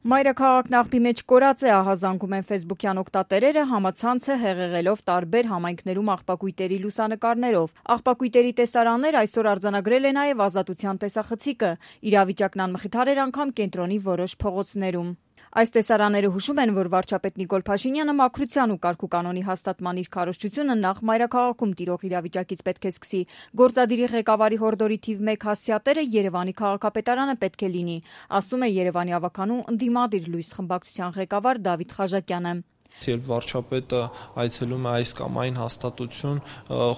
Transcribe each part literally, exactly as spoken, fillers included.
Մայրաքաղաքն աղբի մեջ կորած է, ահազանգում են ֆեյսբուքյան օգտատերերը, համացանցը հեղեղելով տարբեր համայնքներում աղբակույտերի լուսանկարներով։ Աղբակույտերի տեսարաններ այսօր արձանագրել է նաև Ազատության տեսախցիկը։ Իրավիճակն անմխիթար էր անգամ կենտրոնի որոշ փողոցներում։ Այս տեսարանները հուշում են, որ վարչապետ Նիկոլ Փաշինյանը մաքրության ու կարգուկանոնի հաստատման իր քարոզչությունը նախ մայրաքաղաքում տիրող իրավիճակից պետք է սկսի։ Գործադիրի ղեկավարի հորդորի թիվ մեկ հասցեատերը Երևանի քաղաքապետարանը պետք է լինի, ասում է Երևանի ավականու ընդդիմադիր լույս խմբակցության ղեկավար Դավիթ Խաժակյանը։ Երբ վարչապետը այցելում է այս կամ այն հաստատություն,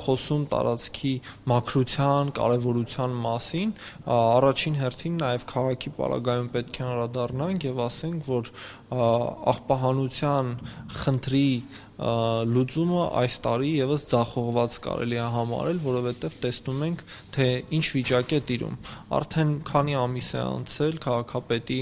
խոսում տարածքի մաքրության կարևորության մասին, առաջին հերթին նաև քաղաքի պարագայում պետք է անդրադառնանք եւ ասենք, որ աղբահանության խնդրի լուծումը այս տարի եւս ձախողված կարելի է համարել, որովհետեւ տեսնում ենք, թե ինչ վիճակ է տիրում։ Արդեն քանի ամիս է անցել քաղաքապետի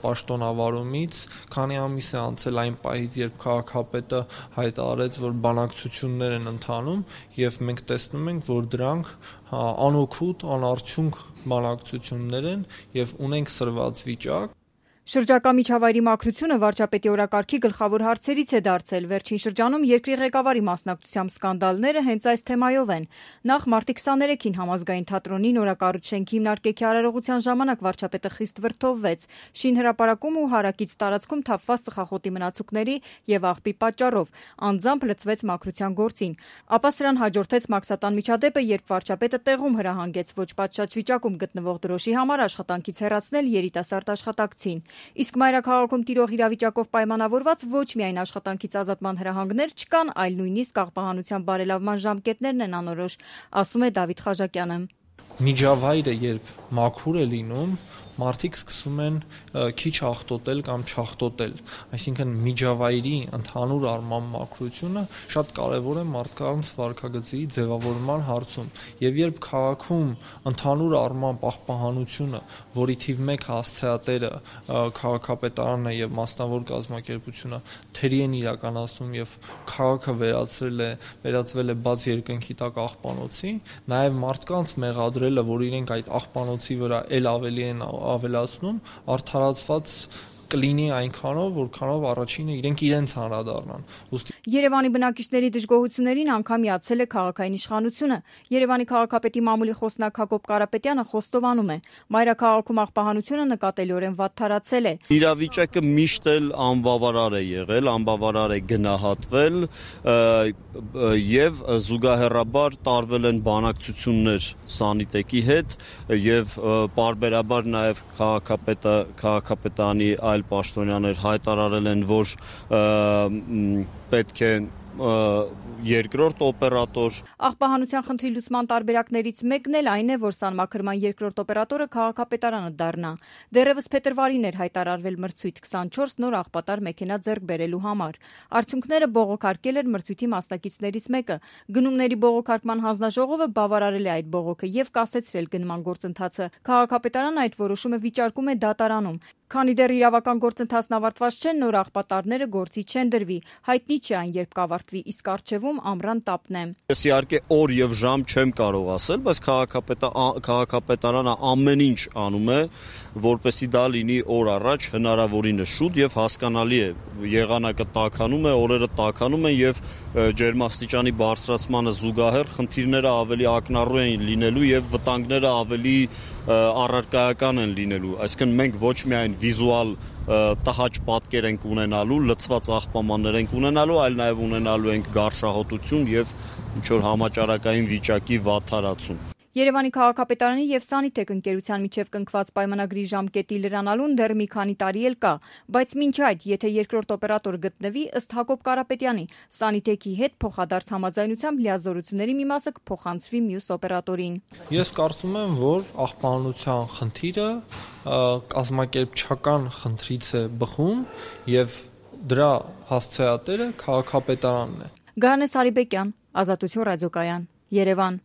պաշտոնավարումից, քանի ամիս է անցել այն պահից, երբ քաղաքապետը հայտարարեց, որ բանակցություններ են ընթանում, եւ մենք տեսնում ենք, որ դրանք անօգուտ, անարդյունք բանակցություններ են եւ ունենք սրված վիճակ։ Շրջակա միջավայրի մաքրությունը վարչապետի օրակարգի գլխավոր հարցերից է դարձել։ Վերջին շրջանում երկրի ղեկավարի մասնակցությամբ սկանդալները հենց այս թեմայով են։ Նախ մարտի քսաներեքին Համազգային թատրոնի նորակառույց շենքի հիմնարկեքի արարողության ժամանակ վարչապետը խիստ վրդովվեց շինհրապարակում ու հարակից տարածքում թափված ծխախոտի մնացուկների եւ աղբի պատճառով, անձամբ լծվեց մաքրության գործին։ Ապա սրան հաջորդեց մաքսատան միջադեպը, երբ վարչապետը տեղում հրահանգեց ոչ պատշաճ վիճակում գտնվող դրոշի համար աշխատանքից հեռացնել երիտասարդ աշխատակցին։ Իսկ մայրաքաղաքում տիրող իրավիճակով պայմանավորված ոչ միայն աշխատանքից ազատման հրահանգներ չկան, այլ նույնիսկ աղբահանության բարելավման ժամկետներն են անորոշ, ասում է Դավիթ Խաժակյանը։ Միջավայրը երբ մաքուր է լինում, մարդիկ սկսում են քիչ աղտոտել կամ չաղտոտել, այսինքն միջավայրի ընդհանուր առմամբ մաքրությունը շատ կարևոր է մարդկանց վարքագծի ձևավորման հարցում, եւ երբ քաղաքում ընդհանուր առմամբ աղբահանությունը, որի թիվ մեկ հասցեատերը քաղաքապետարանն է եւ մասնավոր կազմակերպությունը թերի են իրականացնում եւ քաղաքը վերածվել է վերածվել է բաց երկնքի տակ աղբանոցի, նաեւ մարդկանց մեղադրելը, որ իրենք այդ աղբանոցի վրա ել ավելի են ավելացնում, արդարացված կլինի այնքանով, որքանով առաջինը իրենք իրենց անդրադառնան։ Երևանի բնակիչների դժգոհություններին անգամ միացել է քաղաքային իշխանությունը։ Երևանի քաղաքապետի մամուլի խոսնակ Հակոբ Կարապետյանը խոստովանում է, մայրաքաղաքում աղբահանությունը նկատելիորեն վատթարացել է։ Իրավիճակը միշտ էլ անբավարար է եղել, անբավարար է գնահատվել եւ զուգահեռաբար տարվել են բանակցություններ Սանիտեկի հետ եւ պարբերաբար նաեւ քաղաքապետը քաղաքապետանի այլ պաշտոնյաներ հայտարարել են, որ պետք է երկրորդ օպերատոր։ Աղբահանության խնդրի լուծման տարբերակներից մեկն էլ այն է, որ սանմաքրման երկրորդ օպերատորը քաղաքապետարանը դառնա։ Դեռևս փետրվարին էր հայտարարվել մրցույթ քսանչորս նոր աղբատար մեքենա ձեռք բերելու համար։ Արդյունքները բողոքարկել էր մրցույթի մասնակիցներից մեկը։ Գնումների բողոքարկման հանձնաժողովը բավարարել է այդ բողոքը եւ կասեցրել գնման գործընթացը։ Քաղաքապետարանը այդ որոշումը վիճարկում է դատարանում։ Քանի դեռ իրավական գործընթացն ավարտված չէ, նոր աղբատարները գործի չեն դրվի։ Հայտնի չէ այն երբ կավարտվի, իսկ առջևում ամռան տապն է։ Ես իհարկե օր եւ ժամ չեմ կարող ասել, բայց քաղաքապետարանը ամեն ինչ անում է, որպեսզի դա լինի օր առաջ հնարավորինս շուտ եւ հասկանալի է։ Եղանակը տաքանում է, օրերը տաքանում են եւ ջերմաստիճանի բարձրացմանը զուգահեռ խնդիրները ավելի ակնառու են լինելու եւ վտանգները ավելի առարկայական են լինելու։ Այսինքն մենք ոչ միայն վիզուալ տհաճ պատկեր ենք ունենալու, լցված աղբամաններ ենք ունենալու, այլ նաև ունենալու ենք գարշահոտություն եւ ինչ որ համաճարակային վիճակի վատթարացում։ Երևանի քաղաքապետարանի եւ Սանիտեկ ընկերության միջև կնքված պայմանագրի ժամկետի լրանալուն դեռ մի քանի տարի էլ կա, բայց մինչ այդ, եթե երկրորդ օպերատոր գտնվի, ըստ Հակոբ Կարապետյանի, Սանիտեկի հետ փոխադարձ համաձայնությամբ լիազորությունների մի մասը կփոխանցվի մյուս օպերատորին։ Ես կարծում եմ, որ աղբահանության խնդիրը կազմակերպչական խնդրից է բխում եւ դրա հասցեատերը քաղաքապետարանն է։ Գայանե Սարիբեկյան, Ազատություն ռադիոկայան, Երևան։